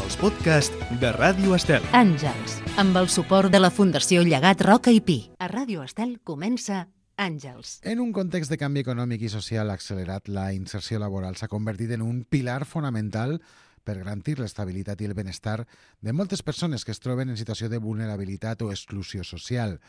els podcasts de Ràdio Estel. Àngels, amb el suport de la Fundació Llegat Roca i Pi. A Ràdio Estel comença Àngels. En un context de canvi econòmic i social accelerat, la inserció laboral s'ha convertit en un pilar fonamental per garantir l'estabilitat i el benestar de moltes persones que es troben en situació de vulnerabilitat o exclusió social.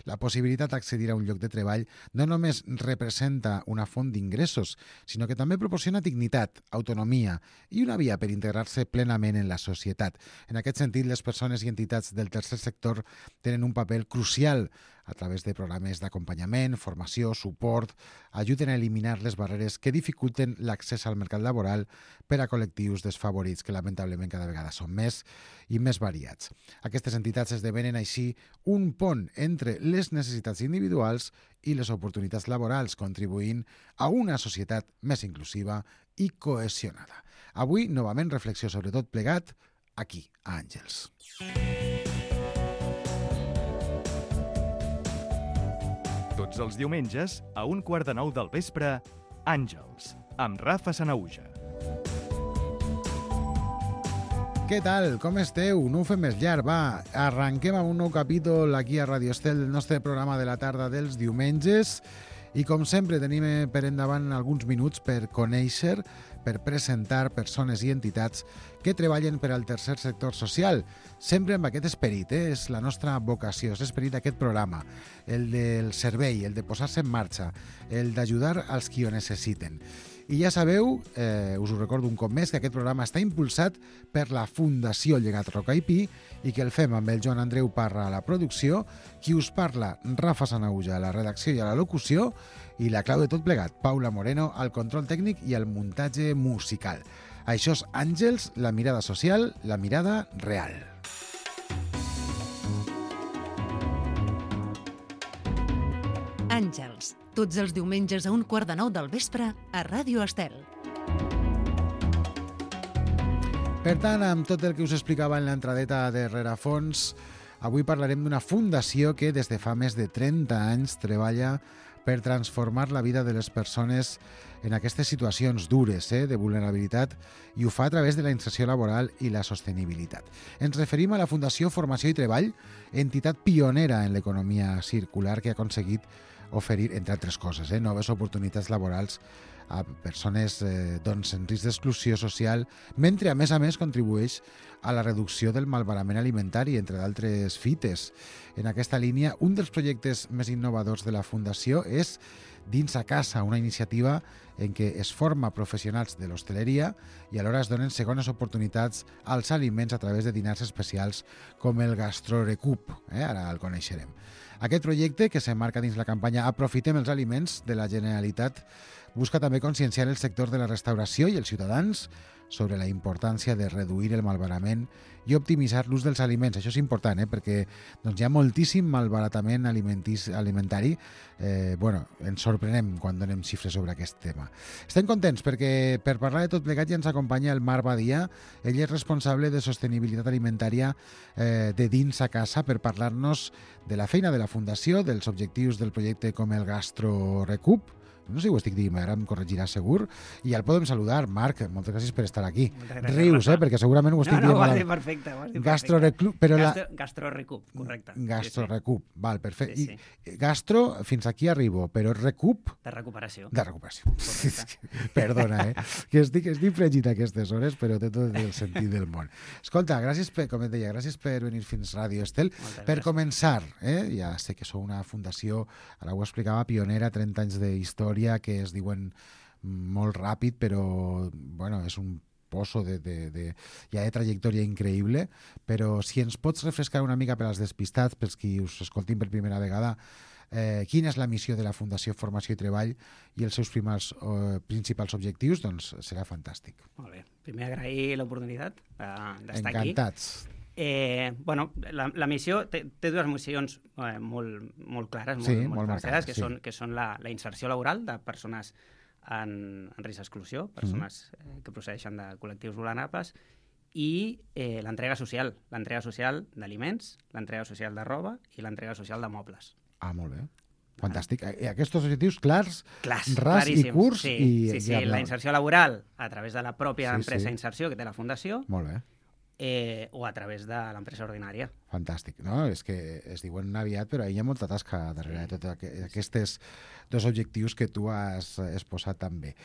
La possibilitat d'accedir a un lloc de treball no només representa una font d'ingressos, sinó que també proporciona dignitat, autonomia i una via per integrar-se plenament en la societat. En aquest sentit, les persones i entitats del tercer sector tenen un paper crucial a través de programes d'acompanyament, formació, suport, ajuden a eliminar les barreres que dificulten l'accés al mercat laboral per a col·lectius desfavorits, que lamentablement cada vegada són més i més variats. Aquestes entitats esdevenen així un pont entre les necessitats individuals i les oportunitats laborals, contribuint a una societat més inclusiva i cohesionada. Avui, novament, reflexió sobre tot plegat, aquí, a Àngels. Tots els diumenges, a 8:45 del vespre, Àngels, amb Rafa Sanauja. Què tal? Com esteu? No ho fem més llarg, va. Arrenquem amb un nou capítol aquí a Ràdio Estel del nostre programa de la tarda dels diumenges i com sempre tenim per endavant alguns minuts per conèixer, per presentar persones i entitats que treballen per al tercer sector social, sempre amb aquest esperit, és la nostra vocació, és l'esperit d'aquest programa, el del servei, el de posar-se en marxa, el d'ajudar als qui ho necessiten. I ja sabeu, us ho recordo un cop més, que aquest programa està impulsat per la Fundació Llegat Roca i Pi i que el fem amb el Joan Andreu Parra a la producció, qui us parla, Rafa Sanauja, a la redacció i a la locució, i la clau de tot plegat, Paula Moreno, al control tècnic i al muntatge musical. Això és Àngels, la mirada social, la mirada real. Àngels, tots els diumenges a 8:45 del vespre a Ràdio Estel. Per tant, amb tot el que us explicava en l'entradeta de Rerefons, avui parlarem d'una fundació que des de fa més de 30 anys treballa per transformar la vida de les persones en aquestes situacions dures de vulnerabilitat i ho fa a través de la inserció laboral i la sostenibilitat. Ens referim a la Fundació Formació i Treball, entitat pionera en l'economia circular que ha aconseguit oferir, entre altres coses, noves oportunitats laborals a persones en risc d'exclusió social, mentre a més contribueix a la reducció del malbarament alimentari, entre d'altres fites. En aquesta línia, un dels projectes més innovadors de la Fundació és Dins a Casa, una iniciativa en què es forma professionals de l'hostaleria i alhora es donen segones oportunitats als aliments a través de dinars especials com el Gastrorecup. Ara el coneixerem. Aquest projecte, que s'emmarca dins la campanya Aprofitem els aliments de la Generalitat, busca també conscienciar el sector de la restauració i els ciutadans sobre la importància de reduir el malbaratament i optimitzar l'ús dels aliments. Això és important, perquè hi ha moltíssim malbaratament alimentari. Ens sorprenem quan donem xifres sobre aquest tema. Estem contents perquè per parlar de tot plegat ja ens acompanya el Marc Badia. Ell és responsable de sostenibilitat alimentària de Dins a Casa per parlar-nos de la feina de la Fundació, dels objectius del projecte com el Gastrorecup. No sé si ho estic dient, ara em corregirà segur. I ja el podem saludar. Marc, moltes gràcies per estar aquí. Rius, perquè segurament ho estic dient. No, ho has dit perfecte. Gastrorecup, Gastrorecup, correcte. Gastrorecup, val, perfecte. Sí. I gastro, fins aquí arribo, però recup... De recuperació. De recuperació. Perdona, que estic fregit a aquestes hores, però té tot el sentit del món. Escolta, gràcies com et deia, gràcies per venir fins Ràdio Estel. Per començar, ja sé que sou una fundació, ara ho explicava, pionera, 30 anys d'història, que es diuen molt ràpid, però és un pozo ja de trajectòria increïble, però si ens pots refrescar una mica per als despistats, pels qui us escoltin per primera vegada, quina és la missió de la Fundació Formació i Treball i els seus principals objectius, doncs serà fantàstic. Molt bé. Primer agrair l'oportunitat d'estar aquí. Encantats. La missió té dues missions molt clares, molt marcades, que són la inserció laboral de persones en risc d'exclusió, persones que procedeixen de col·lectius vulnerables, i l'entrega social d'aliments, l'entrega social de roba i l'entrega social de mobles. Ah, molt bé. Fantàstic. Aquests objectius clars, ras claríssims. I curts. Sí, la inserció laboral a través de la pròpia empresa d'inserció que té la Fundació. Molt bé. o a través de l'empresa ordinària. Fantàstic, no? És que es diuen aviat, però hi ha molta tasca darrere de tots aquests dos objectius que tu has exposat també.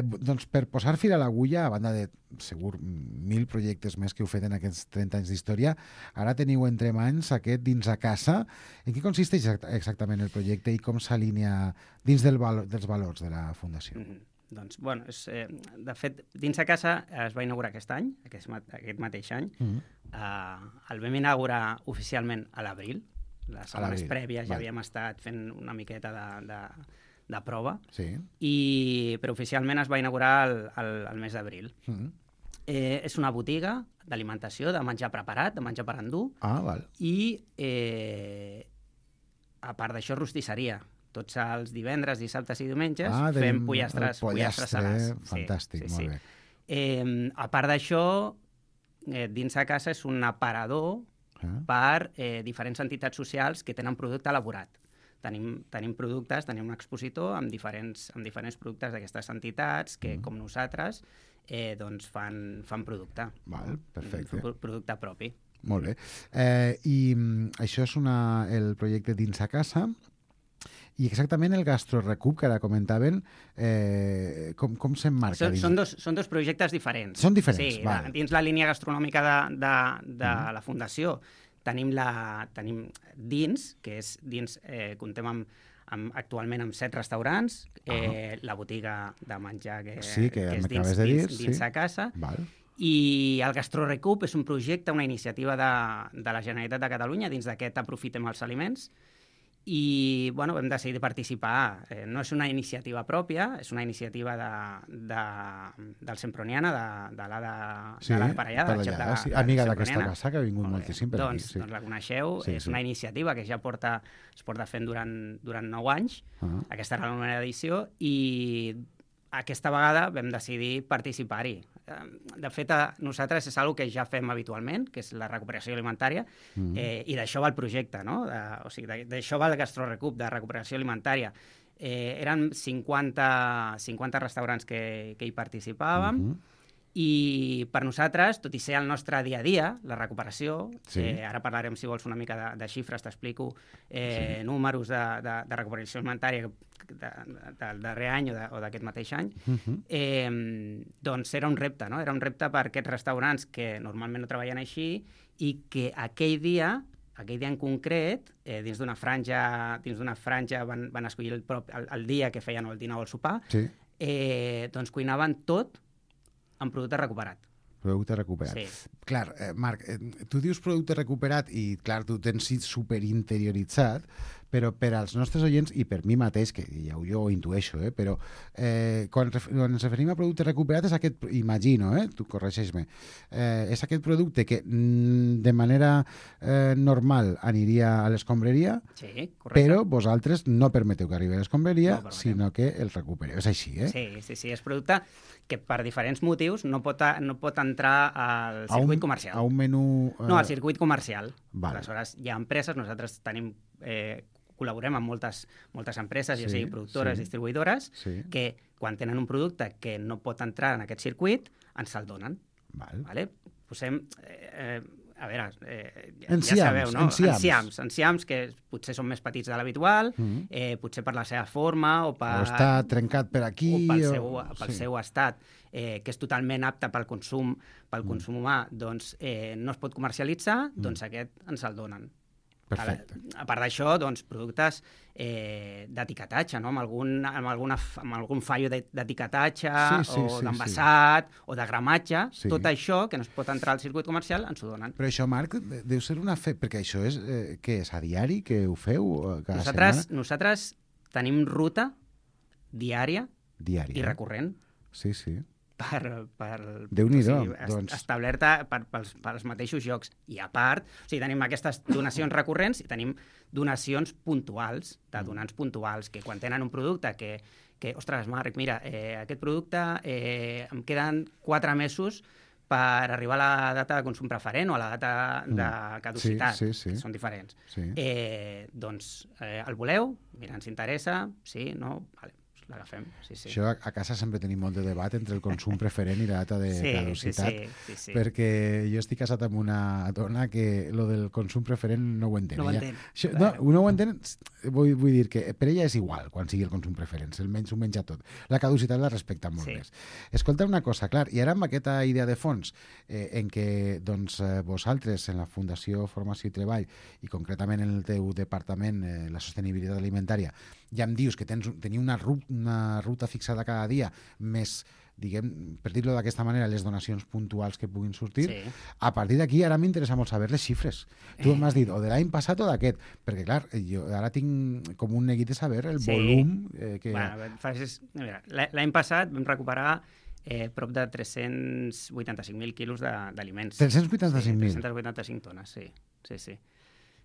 Doncs per posar fil a l'agulla, a banda de segur 1.000 projectes més que heu fet en aquests 30 anys d'història, ara teniu entre mans aquest Dins a Casa. En què consisteix exactament el projecte i com s'alinea dins dels valors de la Fundació? Doncs, bueno, de fet, Dins a Casa es va inaugurar aquest any, aquest mateix any. El vam inaugurar oficialment a l'abril. Les setmanes prèvies ja havíem estat fent una miqueta de prova, però oficialment es va inaugurar el mes d'abril. És una botiga d'alimentació, de menjar preparat, de menjar per endur, i a part d'això, rostisseria. Tots els divendres, dissabtes i diumenges fem pollastres salats. Fantàstic, molt bé. A part d'això, Dins a Casa és un aparador per diferents entitats socials que tenen producte elaborat. Tenim productes, tenim un expositor amb diferents productes d'aquestes entitats que, com nosaltres, doncs fan producte. Perfecte. Producte propi. Molt bé. I això és el projecte Dins a Casa. I exactament el GastroRecup, que ara comentaven, com s'emmarca? Són dos projectes diferents. Són diferents, sí, dins la línia gastronòmica de la Fundació tenim dins, que és dins, comptem actualment amb 7 restaurants, la botiga de menjar que és dins a Casa, i el GastroRecup és un projecte, una iniciativa de la Generalitat de Catalunya dins d'aquest Aprofitem els aliments, i vam decidir participar. No és una iniciativa pròpia, és una iniciativa del Semproniana, de l'Ada Parellada, amiga d'aquesta casa, que ha vingut moltíssim per aquí. Doncs la coneixeu, és una iniciativa que ja es porta fent durant 9 anys. Aquesta era la 9a edició i aquesta vegada vam decidir participar-hi. De fet, nosaltres és una que ja fem habitualment, que és la recuperació alimentària, i d'això va el projecte, no? O sigui, d'això va el GastroRecup, de recuperació alimentària. Eren 50 restaurants que hi participàvem, i per nosaltres, tot i ser el nostre dia a dia, la recuperació, ara parlarem, si vols, una mica de xifres, t'explico números de recuperació alimentària del darrer any o d'aquest mateix any, doncs era un repte, no? Era un repte per aquests restaurants que normalment no treballen així i que aquell dia en concret, dins d'una franja van escollir el dia que feien el dinar o el sopar, doncs cuinaven tot amb producte recuperat. Producte recuperat. Sí. Clar, Marc, tu dius producte recuperat i, clar, tu tens superinterioritzat, però per als nostres oients, i per mi mateix, que ja jo ho intueixo, però quan ens referim a producte recuperat és aquest, imagino, tu corregeix-me, és aquest producte que de manera normal aniria a l'escombraria, però vosaltres no permeteu que arribi a l'escombraria, sinó que el recupereu. És així, Sí, és producte que per diferents motius no pot entrar al circuit comercial. A un menú... No, al circuit comercial. Aleshores, hi ha empreses, nosaltres col·laborem amb moltes empreses, ja sigui productores, distribuïdores, que quan tenen un producte que no pot entrar en aquest circuit, ens el donen. Posem... A veure, ja sabeu, no? Enciams, que potser són més petits de l'habitual, potser per la seva forma o està trencat per aquí... O pel seu estat, que és totalment apte pel consum humà, doncs no es pot comercialitzar, doncs aquest ens el donen. Perfecte. A part d'això, doncs, productes d'etiquetatge, no? amb algun fallo d'etiquetatge o d'envasat o de gramatge, tot això que no es pot entrar al circuit comercial ens ho donen. Però això, Marc, deu ser una perquè això és, què és, a diari que ho feu cada setmana? Nosaltres tenim ruta diària i recurrent. Sí. Déu-n'hi-do, establerta pels mateixos llocs. I a part, tenim aquestes donacions recurrents i tenim donacions puntuals, de donants puntuals, que quan tenen un producte que ostres, Marc, mira, aquest producte em queden 4 mesos per arribar a la data de consum preferent o a la data de caducitat, que són diferents. Doncs el voleu? Mira, ens interessa? Sí? No? Vale. l'agafem. Sí. Això a casa sempre tenim molt de debat entre el consum preferent i la data de caducitat, sí. perquè jo estic casat amb una dona que lo del consum preferent no ho entén. No ho entén. No ho entén, vull dir que per ella és igual quan sigui el consum preferent, s'ho menja tot. La caducitat la respecta molt més. Escolta una cosa, clar, i ara amb aquesta idea de fons en què doncs, vosaltres en la Fundació Formació i Treball i concretament en el teu departament, la sostenibilitat alimentària, ja em dius que teniu una ruta fixada cada dia, més, diguem, per dir-ho d'aquesta manera, les donacions puntuals que puguin sortir. Sí. A partir d'aquí, ara m'interessa molt saber les xifres. Tu m'has dit, o de l'any passat o d'aquest, perquè, clar, jo ara tinc com un neguit de saber el volum que... Bueno, l'any passat vam recuperar prop de 385.000 quilos d'aliments. 385.000? 385 tones, sí.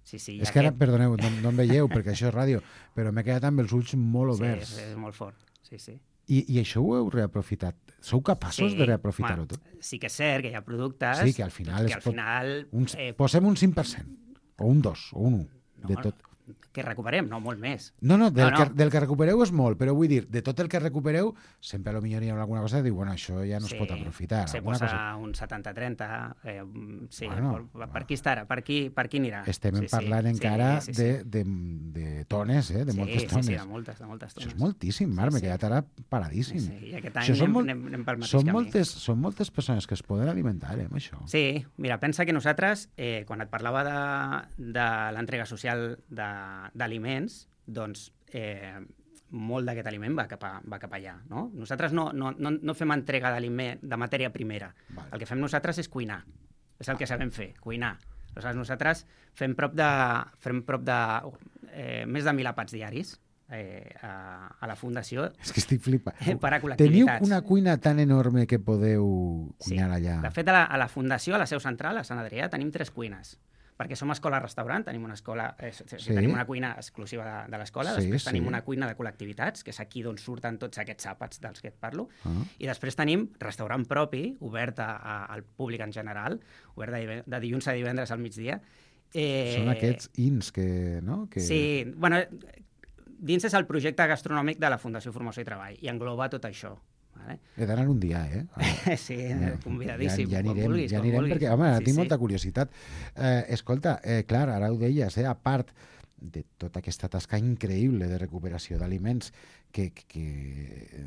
Sí, és que ara, perdoneu, no em veieu perquè això és ràdio, però m'he quedat amb els ulls molt oberts. Sí, és molt fort, sí. I això ho heu reaprofitat? Sou capaços de reaprofitar-ho tot? Sí que és cert que hi ha productes... Sí, que al final... Posem un 5%, o un 2, o un 1, de tot. Que recuperem, no, molt més. No, del que recupereu és molt, però vull dir, de tot el que recupereu, sempre a lo millor hi ha alguna cosa que diu, bueno, això ja no es pot aprofitar. Se posa un 70-30, bueno, per aquí estarà, per aquí anirà. Estem parlant encara de tones, de moltes tones. Sí, de moltes tones. Això és moltíssim, Marc, m'he quedat ara paradíssim. Sí, i aquest any anem pel mateix camí. Són moltes persones que es poden alimentar, amb això. Sí, mira, pensa que nosaltres, quan et parlava de l'entrega social d'aliments, doncs molt d'aquest aliment va cap allà. No? Nosaltres no fem entrega d'aliment de matèria primera. Vale. El que fem nosaltres és cuinar. És el que sabem fer, cuinar. Nosaltres fem prop de més de 1.000 àpats diaris a la Fundació. És que estic flipant. Per a col·lectivitats. Teniu una cuina tan enorme que podeu cuinar allà. De fet, a la Fundació, a la seu central, a Sant Adrià, tenim 3 cuines. Perquè som escola-restaurant, tenim una escola, tenim una cuina exclusiva de l'escola, després tenim una cuina de col·lectivitats, que és aquí d'on surten tots aquests àpats dels que et parlo, i després tenim restaurant propi, obert al públic en general, obert de dilluns a divendres al migdia. Són aquests INS no? Sí, bueno, dins és el projecte gastronòmic de la Fundació Formació i Treball, i engloba tot això. He d'anar un dia, Sí, convidadíssim. Ja anirem perquè, home, tinc molta curiositat. Escolta, clar, ara ho deies, a part de tota aquesta tasca increïble de recuperació d'aliments que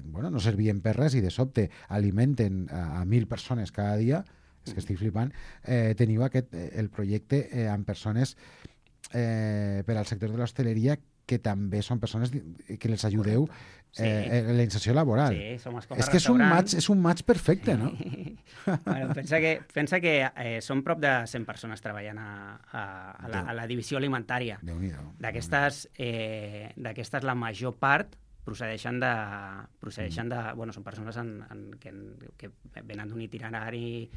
no servien per res i de sobte alimenten a 1.000 persones cada dia, és que estic flipant, teniu el projecte amb persones per al sector de l'hostaleria que també són persones que les ajudeu en la inserció laboral. Sí, som és que és un match perfecte, no? Bueno, pensa que són prop de 100 persones treballant a la divisió alimentària. D'aquestes, la major part procedeixen de... Bueno, són persones que venen d'un itinerari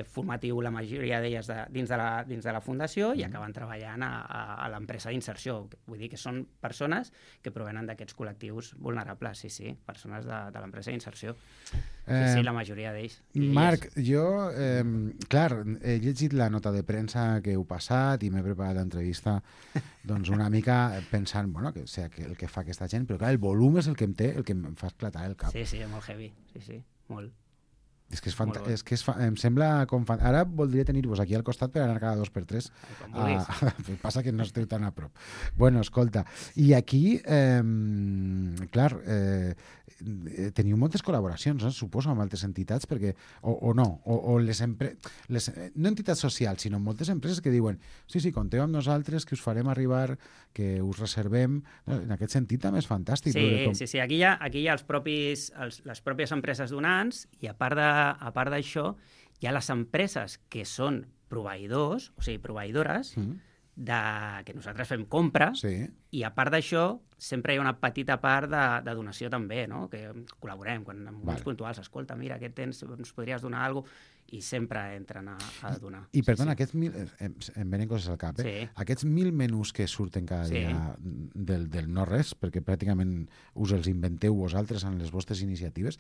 formatiu, la majoria d'elles dins de la Fundació, i acaben treballant a l'empresa d'inserció. Vull dir que són persones que provenen d'aquests col·lectius vulnerables, sí, persones de l'empresa d'inserció. Sí, la majoria d'ells. Marc, jo, clar, he llegit la nota de premsa que heu passat i m'he preparat l'entrevista doncs una mica pensant, bueno, que sé el que fa aquesta gent, però clar, el volum és el que em fa esclatar el cap. Sí, molt heavy, sí, molt. És que em sembla com... Ara voldria tenir-vos aquí al costat per anar cada 2 per 3. Passa que no esteu tan a prop. Bueno, escolta, i aquí, clar, teniu moltes col·laboracions, suposo, amb altres entitats, perquè, o no, o no entitats socials, sinó moltes empreses que diuen sí, compteu amb nosaltres, que us farem arribar, que us reservem. En aquest sentit també és fantàstic. Sí, aquí hi ha les pròpies empreses donants, i a part d'això, hi ha les empreses que són proveïdors, o sigui, proveïdores, que nosaltres fem compra, i a part d'això sempre hi ha una petita part de donació també, no? Que col·laborem, quan en moments puntuals, escolta, mira, què tens, ens podries donar alguna cosa, i sempre entren a donar. I perdona, aquests em venen coses al cap, aquests 1.000 menús que surten cada dia del no-res, perquè pràcticament us els inventeu vosaltres en les vostres iniciatives,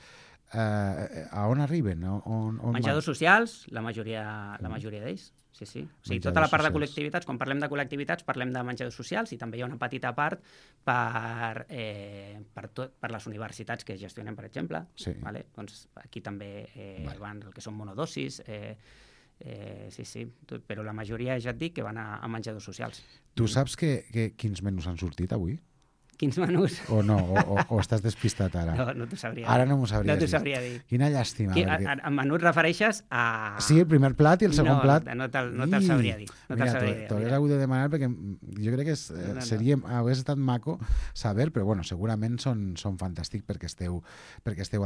a on arriben? Menjadors socials, la majoria d'ells. Sí. O sigui, tota la part de col·lectivitats, quan parlem de col·lectivitats, parlem de menjadors socials i també hi ha una petita part per les universitats que gestionen, per exemple. Vale? Doncs aquí també van el que són monodosis, però la majoria, ja et dic, que van a menjadors socials. Tu saps quins menús han sortit avui? Quins menús? O no, o estàs despistat ara? No t'ho sabria dir. Ara no m'ho sabria dir. No t'ho sabria dir. Quina llàstima. En menú et refereixes a... Sí, el primer plat i el segon plat. No te'l sabria dir. Mira, t'hauria hagut de demanar perquè jo crec que hauria estat maco saber, però bueno, segurament són fantàstics perquè esteu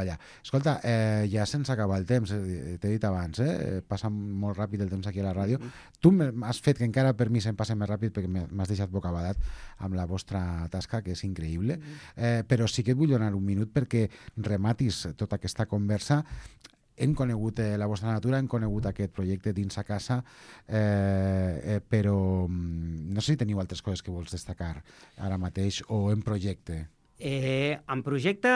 allà. Escolta, ja sense acabar el temps, t'he dit abans, passa molt ràpid el temps aquí a la ràdio. Tu m'has fet que encara per mi se'm passa més ràpid perquè m'has deixat bocabadat amb la vostra tasca, que és increïble, però sí que et vull donar un minut perquè rematis tota aquesta conversa. Hem conegut la vostra natura, hem conegut aquest projecte dins a casa, però no sé si teniu altres coses que vols destacar ara mateix o en projecte. En projecte,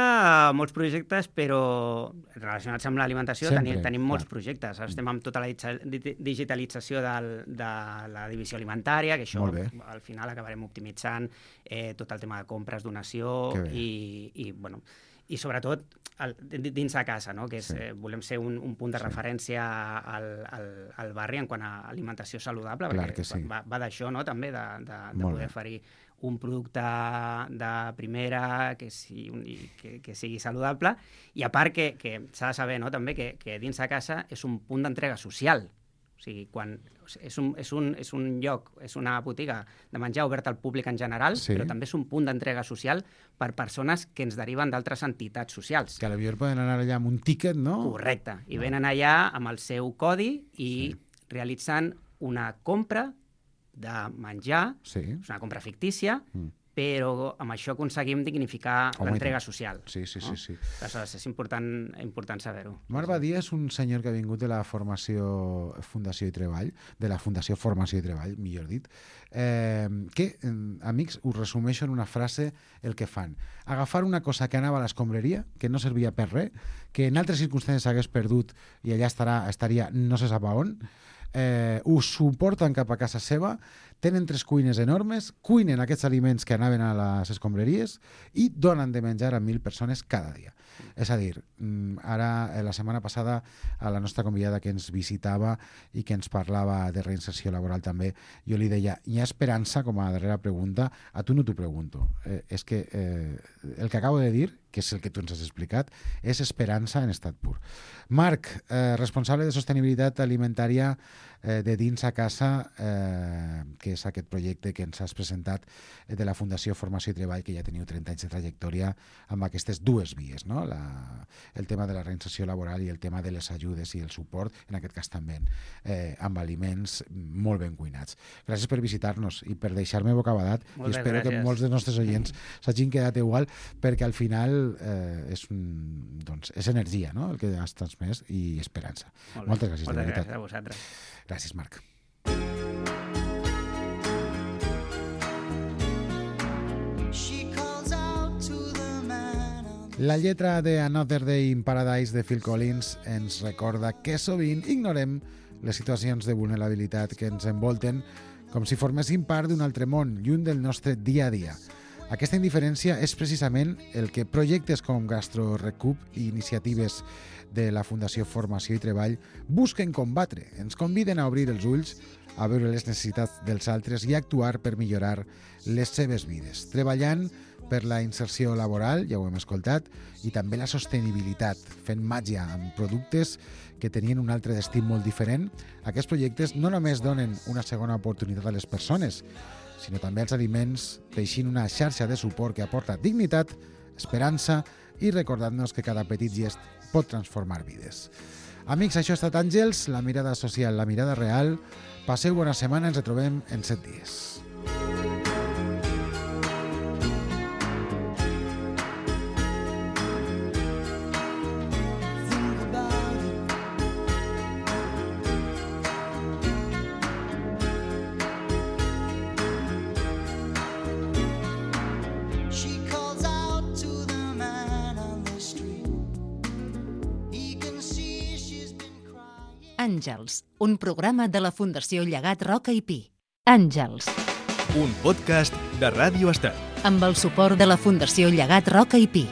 molts projectes, però relacionats amb l'alimentació tenim molts projectes. Estem amb tota la digitalització de la divisió alimentària, que això al final acabarem optimitzant tot el tema de compres, donació i sobretot dins de casa, no? Que volem ser un punt de referència al barri en quant a alimentació saludable, perquè va d'això, no? També de poder oferir un producte de primera que sigui saludable, i a part que s'ha de saber, no? També que dins de casa és un punt d'entrega social. O sigui, quan és un lloc, és una botiga de menjar oberta al públic en general, però també és un punt d'entrega social per persones que ens deriven d'altres entitats socials. Que a l'Avior poden anar allà amb un tíquet, no? Correcte. I venen allà amb el seu codi i realitzen una compra de menjar, és una compra fictícia, però amb això aconseguim dignificar l'entrega social. Sí. Aleshores, és important saber-ho. Marc Badia és un senyor que ha vingut de la Fundació i Treball, de la Fundació Formació i Treball, millor dit, que, amics, us resumeixo en una frase el que fan. Agafar una cosa que anava a l'escombraria, que no servia per res, que en altres circumstàncies hagués perdut i allà estaria no se sap a on, ho suporten cap a casa seva, tenen 3 cuines enormes, cuinen aquests aliments que anaven a les escombraries i donen de menjar a 1.000 persones cada dia. És a dir, ara, la setmana passada, a la nostra convidada que ens visitava i que ens parlava de reinserció laboral també, jo li deia, hi ha esperança, com a darrera pregunta, a tu no t'ho pregunto. És que el que acabo de dir, que és el que tu ens has explicat, és esperança en estat pur. Marc, responsable de sostenibilitat alimentària de dins a casa, que és aquest projecte que ens has presentat de la Fundació Formació i Treball, que ja teniu 30 anys de trajectòria amb aquestes dues vies, no? El tema de la reinserció laboral i el tema de les ajudes i el suport, en aquest cas també amb aliments molt ben cuinats. Gràcies per visitar-nos i per deixar-me bocabadat, i espero que molts dels nostres oients s'hagin quedat igual, perquè al final és energia, no? El que has transmès, i esperança. Moltes gràcies, de veritat. Moltes gràcies a vosaltres. Gràcies, Marc. La lletra de Another Day in Paradise de Phil Collins ens recorda que sovint ignorem les situacions de vulnerabilitat que ens envolten com si formessin part d'un altre món, lluny del nostre dia a dia. Aquesta indiferència és precisament el que projectes com GastroRecup i iniciatives de la Fundació Formació i Treball busquen combatre. Ens conviden a obrir els ulls, a veure les necessitats dels altres i a actuar per millorar les seves vides, treballant per la inserció laboral, ja ho hem escoltat, i també la sostenibilitat, fent màgia amb productes que tenien un altre destí molt diferent. Aquests projectes no només donen una segona oportunitat a les persones, sinó també als aliments, teixint una xarxa de suport que aporta dignitat, esperança i recordant-nos que cada petit gest pot transformar vides. Amics, això ha estat Àngels, la mirada social, la mirada real. Passeu bona setmana, ens retrobem en 7 dies. Àngels, un programa de la Fundació Llegat Roca i Pi. Àngels. Un podcast de Ràdio Estel. Amb el suport de la Fundació Llegat Roca i Pi.